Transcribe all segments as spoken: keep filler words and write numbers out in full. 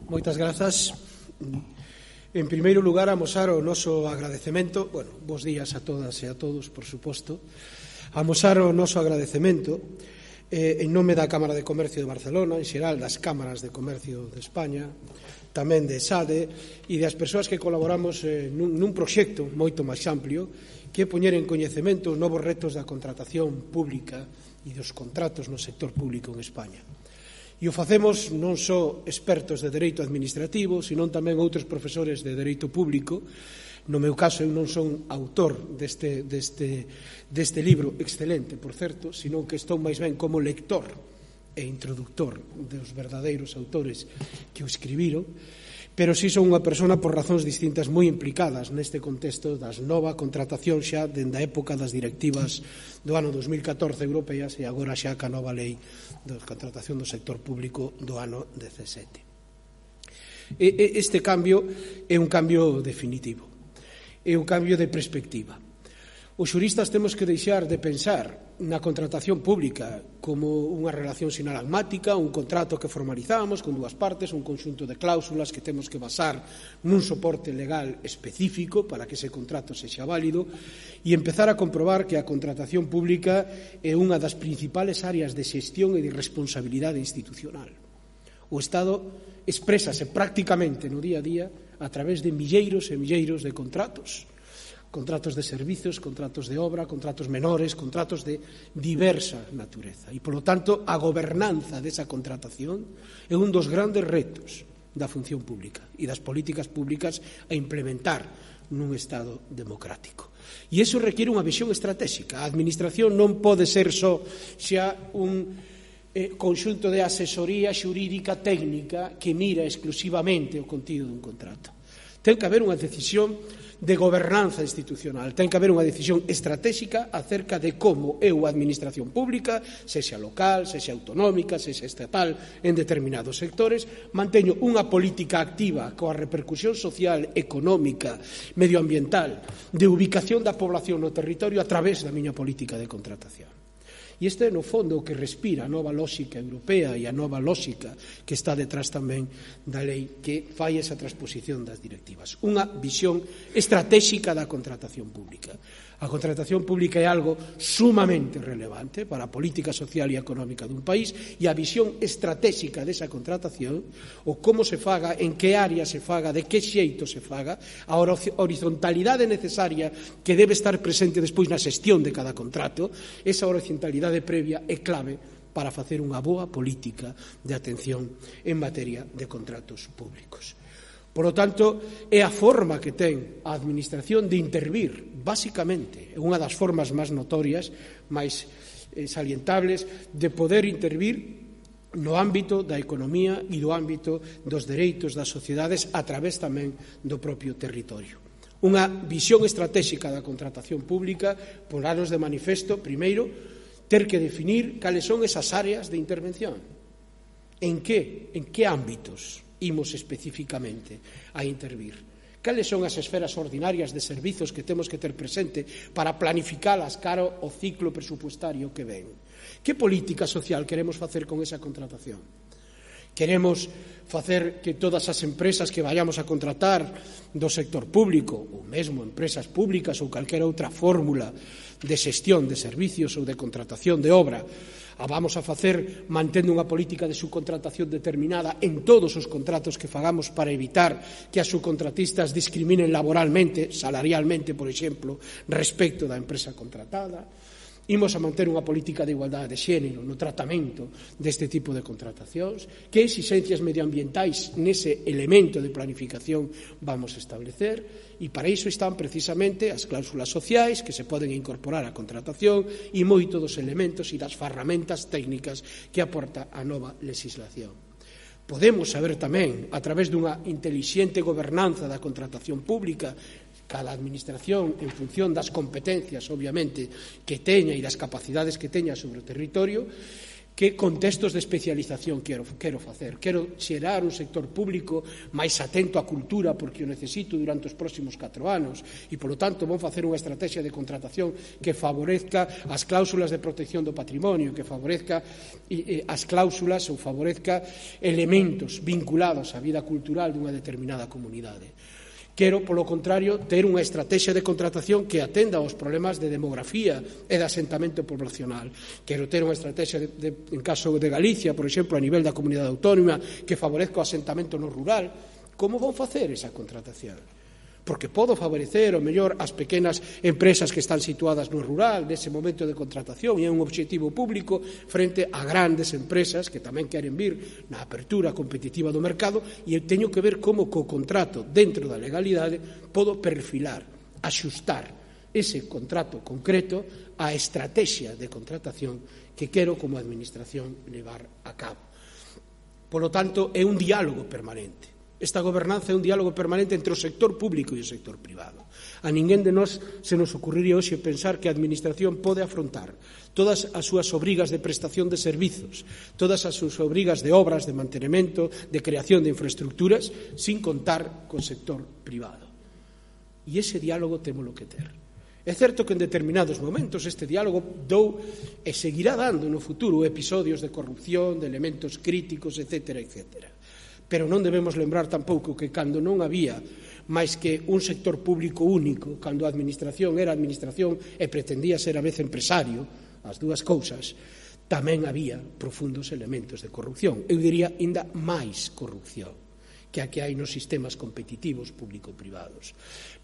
Moitas grazas. En primeiro lugar, amosar o noso agradecemento, bueno, bons días a todas e a todos, por suposto, amosar o noso agradecemento eh, en nome da Cámara de Comercio de Barcelona, en xeral das Cámaras de Comercio de España, tamén de SADE e das persoas que colaboramos eh, nun, nun proxecto moito máis amplio que é poñer en coñecemento os novos retos da contratación pública e dos contratos no sector público en España. E o facemos non só expertos de dereito administrativo, senón tamén outros profesores de dereito público. No meu caso, eu non son autor deste, deste, deste libro excelente, por certo, senón que estou máis ben como lector e introductor dos verdadeiros autores que o escribiron, pero si son unha persona por razóns distintas moi implicadas neste contexto das nova contratación xa dende a época das directivas do ano dos mil catorce europeas e agora xa ca nova lei de contratación do sector público do ano dezasete. Este cambio é un cambio definitivo, é un cambio de perspectiva. Os xuristas temos que deixar de pensar na contratación pública como unha relación sinalagmática, un contrato que formalizamos con dúas partes, un conxunto de cláusulas que temos que basar nun soporte legal específico para que ese contrato sexa válido e empezar a comprobar que a contratación pública é unha das principales áreas de xestión e de responsabilidade institucional. O Estado exprésase prácticamente no día a día a través de milleiros e milleiros de contratos, contratos de servizos, contratos de obra, contratos menores, contratos de diversa natureza. E, polo tanto, a gobernanza desa contratación é un dos grandes retos da función pública e das políticas públicas a implementar nun Estado democrático. E iso requiere unha visión estratégica. A administración non pode ser só xa un eh, conxunto de asesoría xurídica técnica que mira exclusivamente o contido dun contrato. Ten que haber unha decisión de gobernanza institucional, ten que haber unha decisión estratégica acerca de como eu, a administración pública, sexa local, sexa autonómica, sexa estatal, en determinados sectores, manteño unha política activa coa repercusión social, económica, medioambiental, de ubicación da población no territorio a través da miña política de contratación. E este é, no fondo, o que respira a nova lógica europea e a nova lógica que está detrás tamén da lei que fai esa transposición das directivas. Unha visión estratégica da contratación pública. A contratación pública é algo sumamente relevante para a política social e económica dun país e a visión estratégica desa contratación, o como se faga, en que área se faga, de que xeito se faga, a horizontalidade necesaria que debe estar presente despois na xestión de cada contrato, esa horizontalidade previa é clave para facer unha boa política de atención en materia de contratos públicos. Por lo tanto, é a forma que ten a administración de intervir, basicamente, é unha das formas máis notorias, máis eh, salientables, de poder intervir no ámbito da economía e do ámbito dos dereitos das sociedades a través tamén do propio territorio. Unha visión estratégica da contratación pública pornos de manifesto, primeiro, ter que definir cales son esas áreas de intervención. En que, en que ámbitos imos especificamente a intervir? Cales son as esferas ordinarias de servizos que temos que ter presente para planificalas cara ao ciclo presupuestario que ven? Que política social queremos facer con esa contratación? Queremos facer que todas as empresas que vayamos a contratar do sector público, ou mesmo empresas públicas ou calquera outra fórmula de xestión de servicios ou de contratación de obra, a vamos a facer mantendo unha política de subcontratación determinada en todos os contratos que fagamos para evitar que as subcontratistas discriminen laboralmente, salarialmente, por exemplo, respecto da empresa contratada. Imos a manter unha política de igualdade de xénero no tratamento deste tipo de contratacións. Que exixencias medioambientais nese elemento de planificación vamos a establecer? E para iso están precisamente as cláusulas sociais que se poden incorporar á contratación e moito dos elementos e das ferramentas técnicas que aporta a nova legislación. Podemos saber tamén, a través dunha intelixente gobernanza da contratación pública, cada administración en función das competencias, obviamente, que teña e das capacidades que teña sobre o territorio, que contextos de especialización quero, quero facer. Quero xerar un sector público máis atento á cultura, porque o necesito durante os próximos catro anos, e, polo tanto, vou facer unha estrategia de contratación que favorezca as cláusulas de protección do patrimonio, que favorezca as cláusulas ou favorezca elementos vinculados á vida cultural dunha determinada comunidade. Quero, polo contrario, ter unha estrategia de contratación que atenda aos problemas de demografía e de asentamento poblacional. Quero ter unha estrategia, de, de, en caso de Galicia, por exemplo, a nivel da comunidade autónoma, que favorezca o asentamento no rural. Como vou facer esa contratación? Porque podo favorecer, o mellor, as pequenas empresas que están situadas no rural nese momento de contratación, e é un objetivo público frente a grandes empresas que tamén queren vir na apertura competitiva do mercado, e eu teño que ver como co contrato dentro da legalidade podo perfilar, axustar ese contrato concreto á estrategia de contratación que quero como administración levar a cabo. Polo tanto, é un diálogo permanente. Esta gobernanza é un diálogo permanente entre o sector público e o sector privado. A ninguén de nós se nos ocurriría hoxe pensar que a Administración pode afrontar todas as súas obrigas de prestación de servizos, todas as súas obrigas de obras, de mantenimento, de creación de infraestructuras, sin contar co sector privado. E ese diálogo témolo que ter. É certo que en determinados momentos este diálogo dou e seguirá dando no futuro episodios de corrupción, de elementos críticos, etcétera, etcétera. Pero non debemos lembrar tampouco que cando non había máis que un sector público único, cando a administración era administración e pretendía ser a vez empresario, as dúas cousas, tamén había profundos elementos de corrupción. Eu diría ainda máis corrupción que a que hai nos sistemas competitivos público-privados.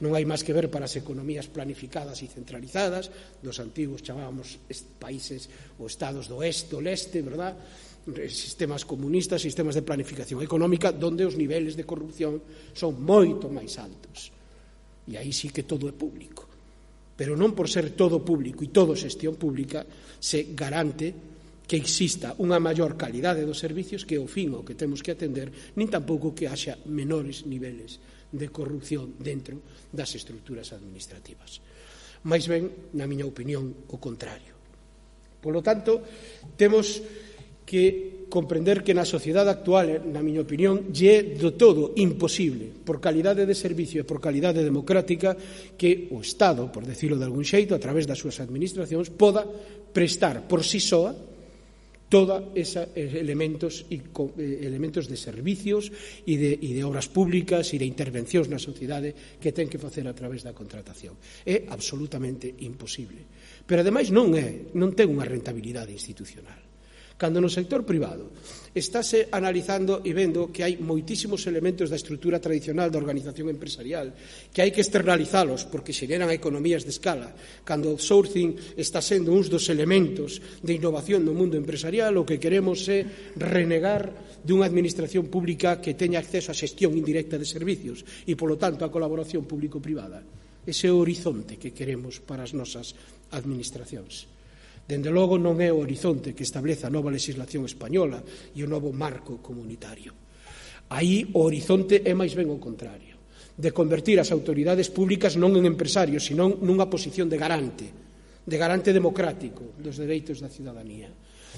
Non hai máis que ver para as economías planificadas e centralizadas, dos antigos chamábamos países ou estados do oeste, do leste, verdad?, sistemas comunistas, sistemas de planificación económica, donde os niveles de corrupción son moito máis altos. E aí sí que todo é público. Pero non por ser todo público e todo xestión pública se garante que exista unha maior calidade dos servicios, que é o fin ao que temos que atender, nin tampouco que haxa menores niveles de corrupción dentro das estruturas administrativas. Mais ben, na miña opinión, o contrario. Polo tanto, temos que comprender que na sociedade actual, na miña opinión, lle é do todo imposible, por calidade de servicio e por calidade democrática, que o Estado, por decirlo de algún xeito, a través das súas administracións, poda prestar por si soa todos esos elementos e elementos de servicios e de, e de obras públicas e de intervencións na sociedade que ten que facer a través da contratación. É absolutamente imposible. Pero, ademais, non é, non ten unha rentabilidade institucional. Cando no sector privado estáse analizando e vendo que hai moitísimos elementos da estrutura tradicional da organización empresarial que hai que externalizalos porque xeneran economías de escala, cando o outsourcing está sendo uns dos elementos de innovación no mundo empresarial, o que queremos é renegar dunha administración pública que teña acceso á xestión indirecta de servicios e, polo tanto, á colaboración público-privada. Ese é o horizonte que queremos para as nosas administracións. Dende logo non é o horizonte que establece a nova legislación española e o novo marco comunitario. Aí o horizonte é máis ben o contrario, de convertir as autoridades públicas non en empresarios, senón nunha posición de garante, de garante democrático dos dereitos da cidadanía,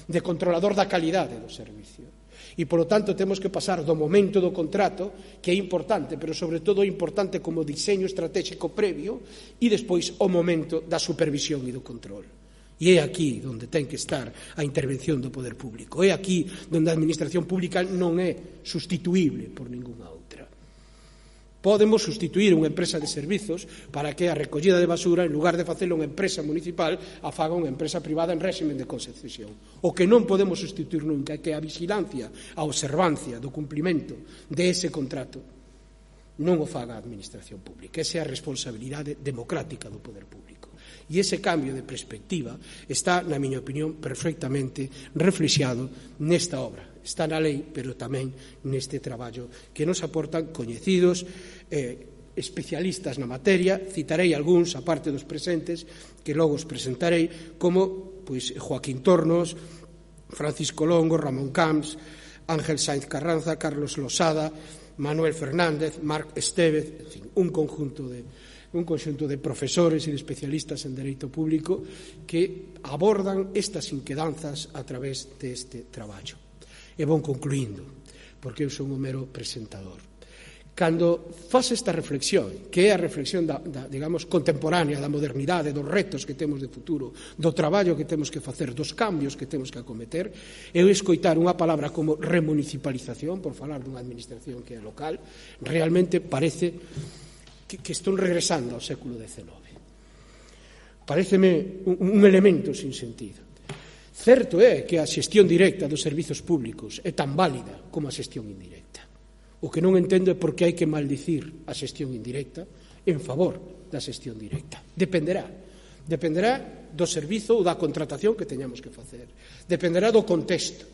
de controlador da calidade do servicio. E, polo tanto, temos que pasar do momento do contrato, que é importante, pero sobre todo é importante como diseño estratégico previo, e despois o momento da supervisión e do control. E é aquí onde ten que estar a intervención do poder público. É aquí onde a administración pública non é sustituíble por ningunha outra. Podemos sustituir unha empresa de servizos para que a recollida de basura, en lugar de facelo unha empresa municipal, a faga unha empresa privada en réximen de concesión. O que non podemos sustituir nunca é que a vigilancia, a observancia do cumprimento de ese contrato non o faga a administración pública. Esa é a responsabilidade democrática do poder público. E ese cambio de perspectiva está, na miña opinión, perfectamente reflexado nesta obra. Está na lei, pero tamén neste traballo que nos aportan coñecidos eh, especialistas na materia. Citarei algúns, a parte dos presentes, que logo os presentarei, como pois, Joaquín Tornos, Francisco Longo, Ramón Camps, Ángel Sainz Carranza, Carlos Losada, Manuel Fernández, Marc Estévez, en fin, un conjunto de un conxunto de profesores e de especialistas en dereito público que abordan estas inquedanzas a través deste traballo. E vou concluindo, porque eu son un mero presentador. Cando faz esta reflexión, que é a reflexión da, da, digamos, contemporánea, da modernidade, dos retos que temos de futuro, do traballo que temos que facer, dos cambios que temos que acometer, eu escoitar unha palabra como remunicipalización, por falar dunha administración que é local, realmente parece que, que estou regresando ao século dezenove. Paréceme un, un elemento sin sentido. Certo é que a xestión directa dos servizos públicos é tan válida como a xestión indirecta. O que non entendo é por que hai que maldicir a xestión indirecta en favor da xestión directa. Dependerá. Dependerá do servizo ou da contratación que teñamos que facer. Dependerá do contexto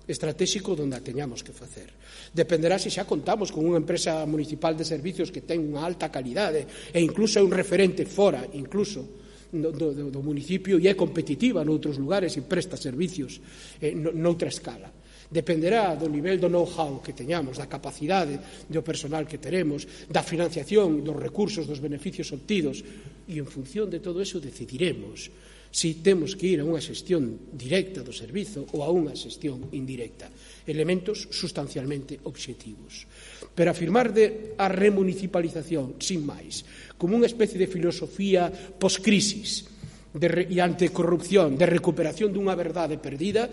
estratégico onde a teñamos que facer. Dependerá se xa contamos con unha empresa municipal de servicios que ten unha alta calidade e incluso é un referente fora, incluso do, do, do municipio, e é competitiva noutros lugares e presta servicios eh, noutra escala. Dependerá do nivel do know-how que teñamos, da capacidade do personal que teremos, da financiación, dos recursos, dos beneficios obtidos, e en función de todo eso decidiremos se temos que ir a unha xestión directa do servizo ou a unha xestión indirecta. Elementos sustancialmente obxectivos. Pero afirmar de a remunicipalización, sin máis, como unha especie de filosofía post-crisis de re, e antecorrupción, de recuperación dunha verdade perdida,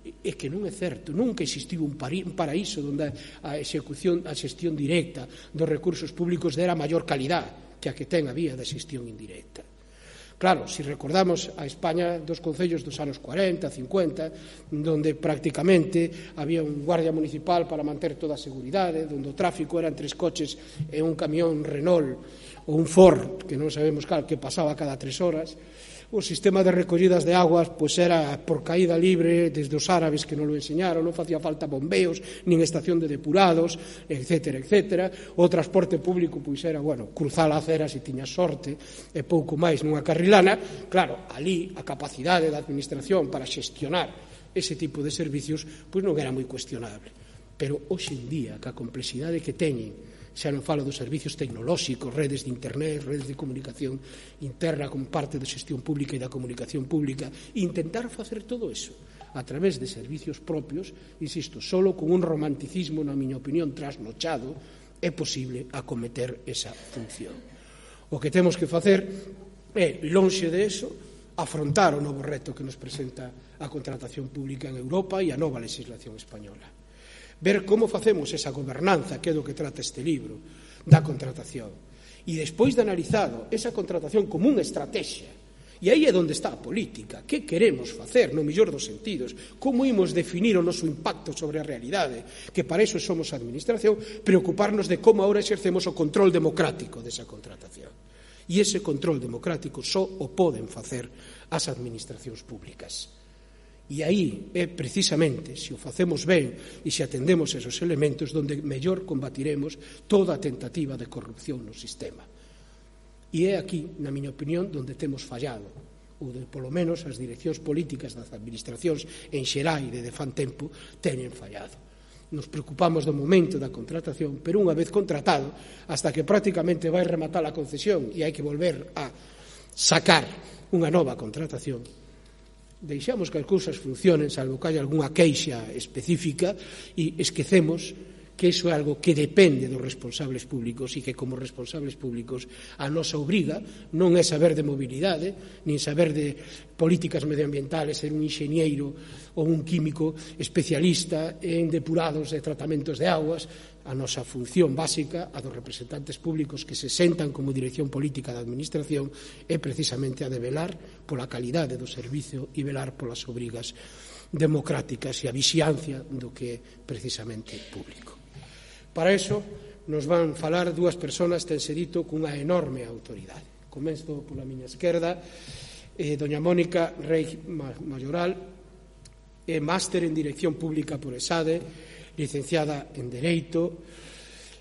é que non é certo. Nunca existiu un paraíso onde a execución, a xestión directa dos recursos públicos dera maior calidad que a que ten a vía da xestión indirecta. Claro, se recordamos a España dos concellos dos anos cuarenta, cincuenta, donde prácticamente había un guardia municipal para manter toda a seguridade, onde o tráfico eran tres coches e un camión Renault ou un Ford, que non sabemos cal, que pasaba cada tres horas. O sistema de recollidas de aguas pois era por caída libre desde os árabes que non lo enseñaron, non facía falta bombeos, nin estación de depurados, etcétera, etcétera. O transporte público pois era, bueno, cruzar a acera se tiña sorte e pouco máis nunha carrilana. Claro, ali a capacidade da administración para xestionar ese tipo de servicios pois non era moi cuestionable. Pero hoxe en día, ca complexidade que teñen, xa non falo dos servicios tecnolóxicos, redes de internet, redes de comunicación interna como parte da xestión pública e da comunicación pública, intentar facer todo eso a través de servicios propios, insisto, solo con un romanticismo, na miña opinión, trasnochado, é posible acometer esa función. O que temos que facer é, lonxe de eso, afrontar o novo reto que nos presenta a contratación pública en Europa e a nova legislación española. Ver como facemos esa gobernanza, que é do que trata este libro, da contratación. E despois de analizado esa contratación como unha estrategia, e aí é onde está a política, que queremos facer no mellor dos sentidos, como imos definir o noso impacto sobre a realidade, que para iso somos a administración, preocuparnos de como ahora exercemos o control democrático desa contratación. E ese control democrático só o poden facer as administracións públicas. E aí é precisamente, se o facemos ben e se atendemos esos elementos, donde mellor combatiremos toda a tentativa de corrupción no sistema. E é aquí, na miña opinión, donde temos fallado, ou de, polo menos as direccións políticas das administracións en xeral de de fan tempo teñen fallado. Nos preocupamos do momento da contratación, pero unha vez contratado, hasta que prácticamente vai rematar a concesión e hai que volver a sacar unha nova contratación, deixamos que as cousas funcionen, salvo que haya algunha queixa específica, e esquecemos que iso é algo que depende dos responsables públicos e que como responsables públicos a nosa obriga non é saber de mobilidade, nin saber de políticas medioambientales, ser un enxeñeiro ou un químico especialista en depurados e tratamentos de aguas. A nosa función básica, a dos representantes públicos que se sentan como dirección política da administración, é precisamente a de velar pola calidade do servicio e velar polas obrigas democráticas e a vixiancia do que é precisamente público. Para iso nos van falar dúas persoas, tense dito, cunha enorme autoridade. Comenzo pola miña esquerda, eh, doña Mónica Rey Mayoral, é máster en Dirección Pública por ESADE, licenciada en Dereito,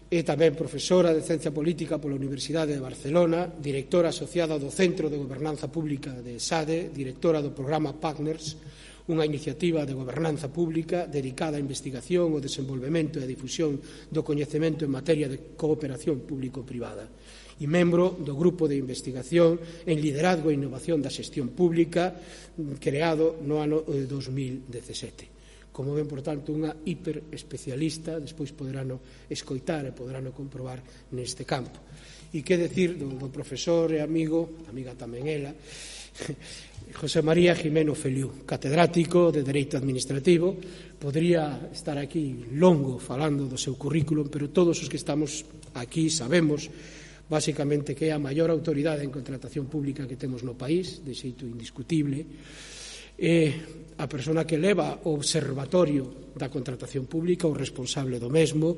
é tamén profesora de Ciencia Política pola Universidade de Barcelona, directora asociada do Centro de Gobernanza Pública de ESADE, directora do programa Partners, unha iniciativa de gobernanza pública dedicada á investigación, ao desenvolvemento e a difusión do coñecemento en materia de cooperación público-privada e membro do Grupo de Investigación en Liderazgo e Innovación da Xestión Pública creado no ano dos mil dezasete. Como ven, por tanto, unha hiperespecialista, despois poderano escoitar e poderano comprobar neste campo. E que decir do, do profesor e amigo, amiga tamén ela, José María Jimeno Feliú, catedrático de Dereito Administrativo. Podría estar aquí longo falando do seu currículum, pero todos os que estamos aquí sabemos basicamente que é a maior autoridade en contratación pública que temos no país, de xeito indiscutible. É a persona que leva o observatorio da contratación pública, o responsable do mesmo,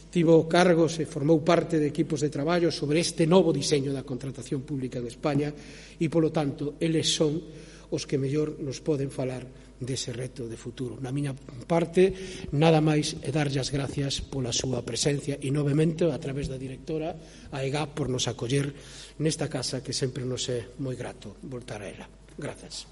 tivo cargos e formou parte de equipos de traballo sobre este novo diseño da contratación pública en España e, polo tanto, eles son os que mellor nos poden falar dese reto de futuro. Na miña parte, nada máis e darlle as gracias pola súa presencia e, novamente, a través da directora, a E G A P, por nos acoller nesta casa que sempre nos é moi grato voltar a ela. Grazas.